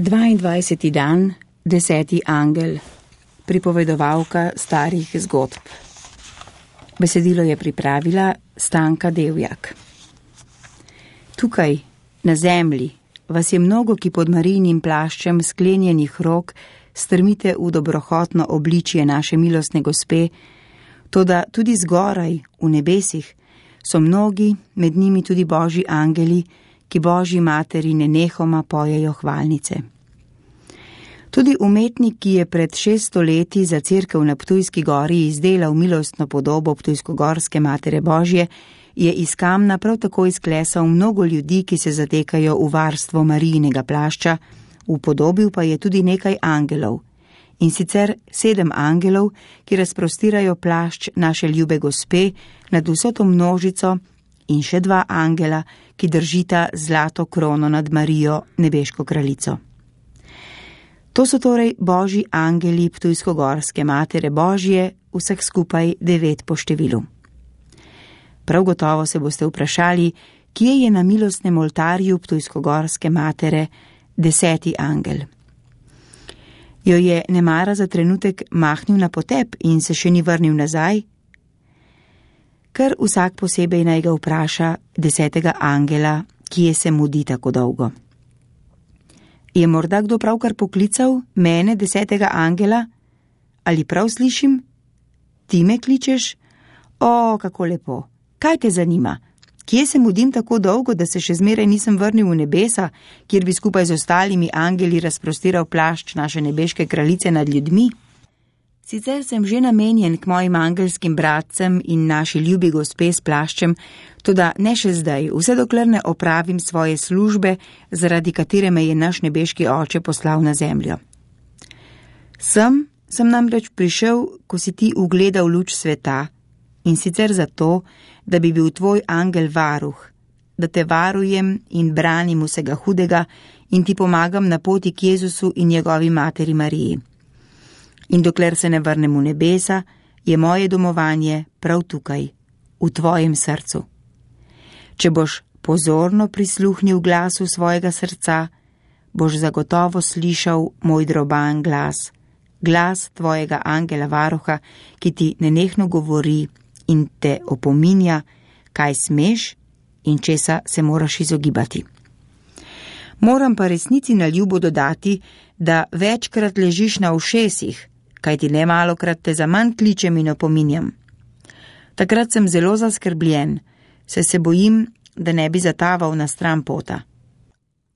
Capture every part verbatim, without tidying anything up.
dvaindvajseti dan, deseti angel, pripovedovalka starih zgodb. Besedilo je pripravila Stanka Devjak. Tukaj, na zemlji, vas je mnogo, ki pod Marijinim plaščem sklenjenih rok strmite v dobrohotno obličje naše milostne gospe, toda tudi zgoraj, v nebesih, so mnogi, med njimi tudi božji angeli, ki Božji materi nenehoma pojejo hvalnice. Tudi umetnik, ki je pred šeststo leti za cerkev na Ptujski gori izdelal milostno podobo Ptujskogorske matere Božje, je iz kamna prav tako izklesal mnogo ljudi, ki se zatekajo v varstvo Marijinega plašča, upodobil pa je tudi nekaj angelov, in sicer sedem angelov, ki razprostirajo plašč naše ljube gospe nad vso to množico, in še dva angela, ki držita zlato krono nad Marijo, nebeško kraljico. To so torej božji angeli Ptujskogorske matere Božje, vseh skupaj devet po številu. Prav gotovo se boste vprašali, kje je na milostnem oltarju Ptujskogorske matere deseti angel. Jo je nemara za trenutek mahnil na potep in se še ni vrnil nazaj? Ker vsak posebej naj ga vpraša desetega angela, kje se mudi tako dolgo. Je morda kdo pravkar poklical mene, desetega angela? Ali prav slišim? Ti me kličeš? O, kako lepo! Kaj te zanima? Kje se mudim tako dolgo, da se še zmeraj nisem vrnil v nebesa, kjer bi skupaj z ostalimi angeli razprostiral plašč naše nebeške kraljice nad ljudmi? Sicer sem že namenjen k mojim angelskim bratcem in naši ljubi gospe s plaščem, toda ne še zdaj, vse dokler ne opravim svoje službe, zaradi katere me je naš nebeški oče poslal na zemljo. Sem, sem namreč prišel, ko si ti ugledal luč sveta, in sicer zato, da bi bil tvoj angel varuh, da te varujem in branim vsega hudega in ti pomagam na poti k Jezusu in njegovi materi Mariji. In dokler se ne vrnem v nebesa, je moje domovanje prav tukaj, v tvojem srcu. Če boš pozorno prisluhnil glasu svojega srca, boš zagotovo slišal moj droban glas, glas tvojega angela varuha, ki ti nenehno govori in te opominja, kaj smeš in česa se moraš izogibati. Moram pa resnici na ljubo dodati, da večkrat ležiš na ušesih, kaj ti nemalokrat te zaman kličem in opominjam. Takrat sem zelo zaskrbljen, saj se bojim, da ne bi zataval na stran pota.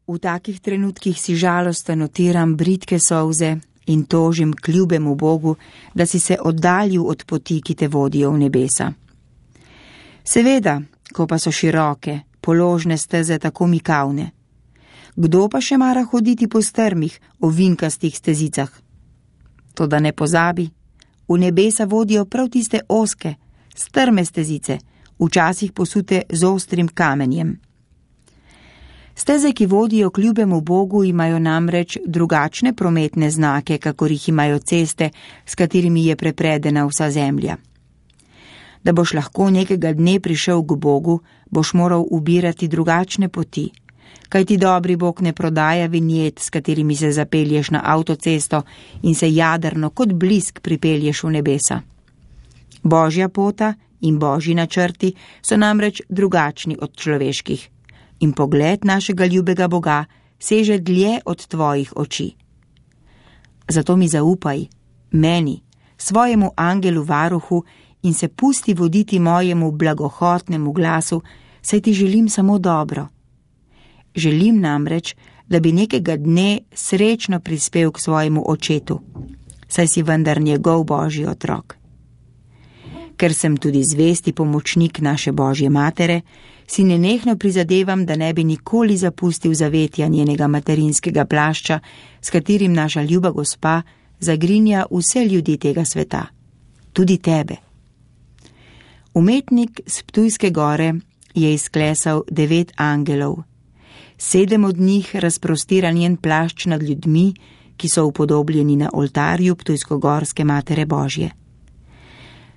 V takih trenutkih si žalosten otiram bridke solze in tožim k ljubemu Bogu, da si se oddaljil od poti, ki te vodijo v nebesa. Seveda, ko pa so široke, položne steze tako mikavne. Kdo pa še mara hoditi po strmih, ovinkastih stezicah? Toda ne pozabi, v nebesa vodijo prav tiste ozke, strme stezice, včasih posute z ostrim kamenjem. Steze, ki vodijo k ljubemu Bogu, imajo namreč drugačne prometne znake, kakor jih imajo ceste, s katerimi je prepredena vsa zemlja. Da boš lahko nekega dne prišel k Bogu, boš moral ubirati drugačne poti, kajti dobri Bog ne prodaja vinjet, s katerimi se zapelješ na avtocesto in se jadrno kot blisk pripelješ v nebesa. Božja pota in božji načrti so namreč drugačni od človeških in pogled našega ljubega Boga seže dlje od tvojih oči. Zato mi zaupaj, meni, svojemu angelu varuhu in se pusti voditi mojemu blagohotnemu glasu, saj ti želim samo dobro. Želim namreč, da bi nekega dne srečno prispel k svojemu očetu, saj si vendar njegov božji otrok. Ker sem tudi zvesti pomočnik naše Božje matere, si nenehno prizadevam, da ne bi nikoli zapustil zavetja njenega materinskega plašča, s katerim naša ljuba gospa zagrinja vse ljudi tega sveta, tudi tebe. Umetnik s Ptujske gore je izklesal devet angelov. Sedem od njih razprostira njen plašč nad ljudmi, ki so upodobljeni na oltarju Ptujskogorske matere Božje.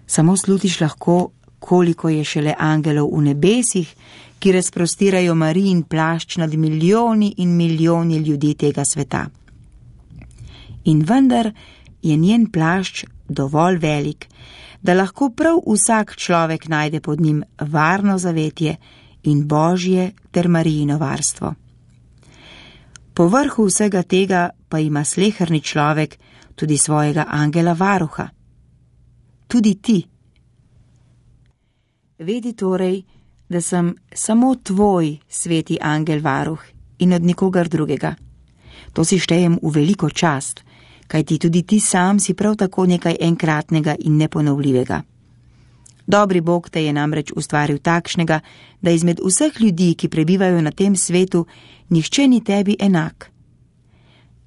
Samo slutiš lahko, koliko je šele angelov v nebesih, ki razprostirajo Marijin plašč nad milijoni in milijoni ljudi tega sveta. In vendar je njen plašč dovolj velik, da lahko prav vsak človek najde pod njim varno zavetje in Božje ter Marijino varstvo. Po vrhu vsega tega pa ima sleherni človek tudi svojega angela varuha. Tudi ti. Vedi torej, da sem samo tvoj sveti angel varuh in od nikogar drugega. To si štejem v veliko čast, kajti tudi ti sam si prav tako nekaj enkratnega in neponovljivega. Dobri Bog te je namreč ustvaril takšnega, da izmed vseh ljudi, ki prebivajo na tem svetu, nihče ni tebi enak.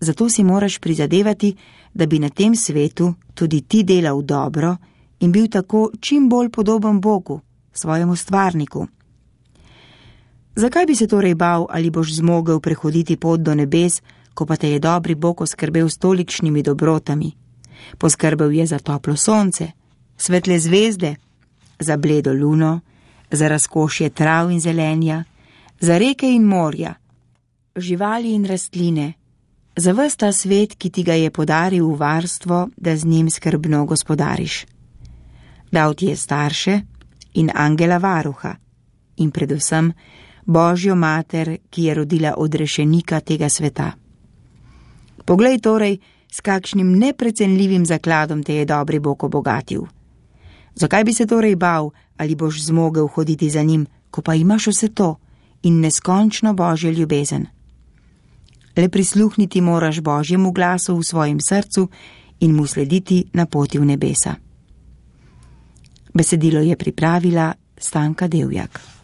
Zato si moraš prizadevati, da bi na tem svetu tudi ti delal dobro in bil tako čim bolj podoben Bogu, svojemu stvarniku. Zakaj bi se torej bal, ali boš zmogel prehoditi pot do nebes, ko pa te je dobri Bog oskrbel s tolikšnimi dobrotami? Poskrbel je za toplo sonce, svetle zvezde, za bledo luno, za razkošje trav in zelenja, za reke in morja, živali in rastline, za ves ta svet, ki ti ga je podaril v varstvo, da z njim skrbno gospodariš. Dal ti je starše in angela varuha in predvsem Božjo mater, ki je rodila odrešenika tega sveta. Poglej torej, s kakšnim neprecenljivim zakladom te je dobri Bog obogatil. Zakaj bi se torej bal, ali boš zmogel hoditi za njim, ko pa imaš vse to in neskončno Božjo ljubezen? Le prisluhniti moraš Božjemu glasu v svojem srcu in mu slediti na poti v nebesa. Besedilo je pripravila Stanka Devjak.